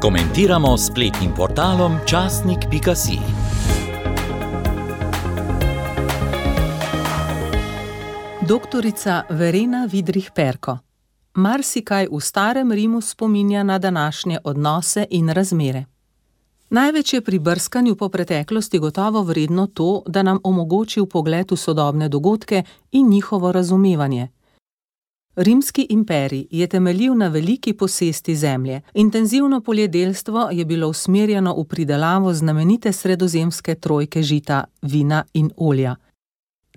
Komentiramo s spletnim portalom časnik.si. Doktorica Verena Vidrih-Perko. Marsikaj v starem Rimu spominja na današnje odnose in razmere. Največ je pri brskanju po preteklosti gotovo vredno to, da nam omogoči vpogled v sodobne dogodke in njihovo razumevanje. Rimski imperij je temeljil na veliki posesti zemlje. Intenzivno poljedelstvo je bilo usmerjeno v pridelavo znamenite sredozemske trojke žita, vina in olja.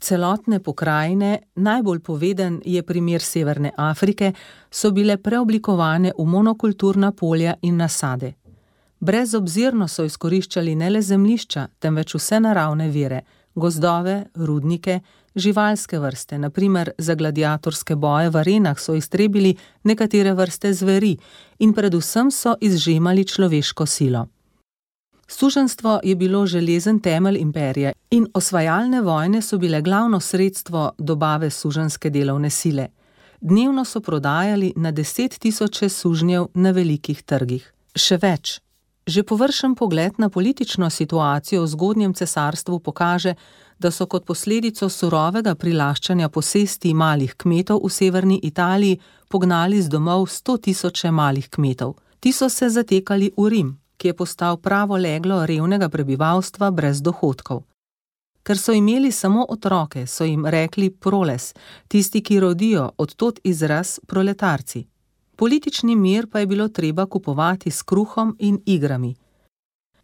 Celotne pokrajine, najbolj poveden je primer Severne Afrike, so bile preoblikovane v monokulturna polja in nasade. Brezobzirno so izkoriščali ne le zemljišča, temveč vse naravne vire, gozdove, rudnike, živalske vrste, na primer za gladiatorske boje v arenah so iztrebili nekatere vrste zveri in predvsem so izžemali človeško silo. Suženjstvo je bilo železen temelj imperija in osvajalne vojne so bile glavno sredstvo dobave suženjske delovne sile. Dnevno so prodajali na 10 000 sužnjev na velikih trgih. Še več. Že površen pogled na politično situacijo v zgodnjem cesarstvu pokaže, da so kot posledico surovega prilaščanja posesti malih kmetov v severni Italiji pognali z domov 100 000 malih kmetov. Ti so se zatekali v Rim, ki je postal pravo leglo revnega prebivalstva brez dohodkov. Ker so imeli samo otroke, so jim rekli proles, tisti, ki rodijo, od tod izraz proletarci. Politični mir pa je bilo treba kupovati s kruhom in igrami.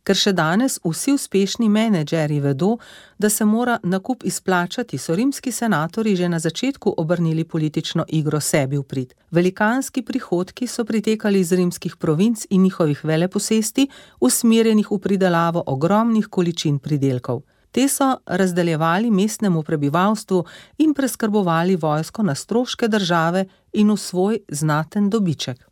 Ker še danes vsi uspešni menedžerji vedo, da se mora nakup izplačati, so rimski senatorji že na začetku obrnili politično igro sebi v prid. Velikanski prihodki so pritekali iz rimskih provinc in njihovih veleposesti, usmerjenih v pridelavo ogromnih količin pridelkov. Te so razdeljevali mestnemu prebivalstvu in preskrbovali vojsko na stroške države in v svoj znaten dobiček.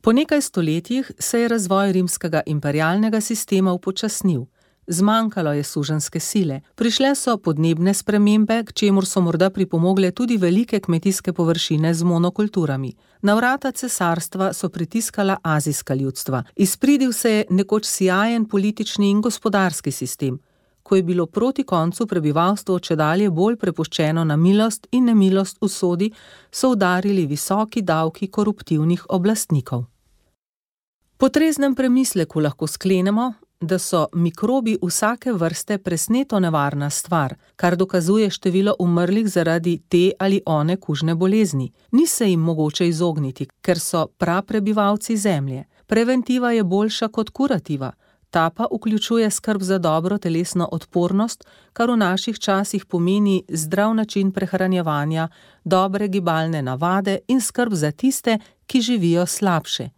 Po nekaj stoletjih se je razvoj rimskega imperialnega sistema upočasnil. Zmanjkalo je suženjske sile, prišle so podnebne spremembe, k čemur so morda pripomogle tudi velike kmetijske površine z monokulturami. Na vrata cesarstva so pritiskala azijska ljudstva. Izpridil se je nekoč sijajen politični in gospodarski sistem. Ko je bilo proti koncu prebivalstvo čedalje bolj prepuščeno na milost in nemilost usodi, so udarili visoki davki koruptivnih oblastnikov. Po treznem premisleku lahko sklenemo, da so mikrobi vsake vrste presneto nevarna stvar, kar dokazuje število umrlih zaradi te ali one kužne bolezni. Ni se jim mogoče izogniti, ker so praprebivalci zemlje. Preventiva je boljša kot kurativa. Ta pa vključuje skrb za dobro telesno odpornost, kar v naših časih pomeni zdrav način prehranjevanja, dobre gibalne navade in skrb za tiste, ki živijo slabše.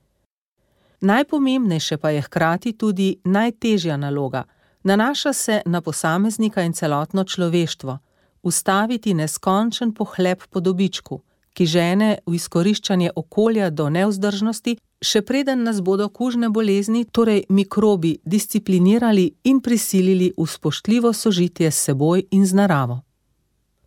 Najpomembnejše pa je hkrati tudi najtežja naloga. Nanaša se na posameznika in celotno človeštvo. Ustaviti neskončen pohlep po dobičku, ki žene v izkoriščanje okolja do nevzdržnosti, še preden nas bodo kužne bolezni, torej mikrobi, disciplinirali in prisilili v spoštljivo sožitje s seboj in z naravo.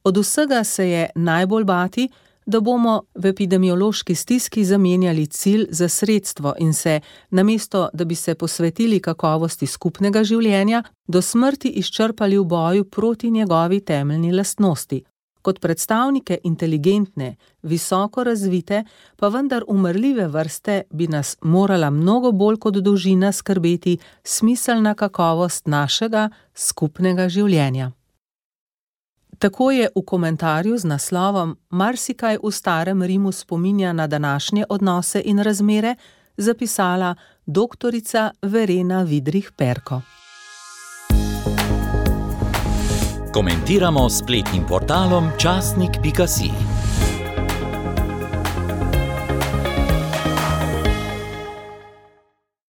Od vsega se je najbolj bati, da bomo v epidemiološki stiski zamenjali cilj za sredstvo in se, namesto da bi se posvetili kakovosti skupnega življenja, do smrti izčrpali v boju proti njegovi temeljni lastnosti. Kot predstavnike inteligentne, visoko razvite, pa vendar umrljive vrste bi nas morala mnogo bolj kot dolžina skrbeti smiselna kakovost našega skupnega življenja. Tako je v komentarju z naslovom Marsikaj v starem Rimu spominja na današnje odnose in razmere zapisala doktorica Verena Vidrih-Perko. Komentiramo s spletnim portalom časnik.si.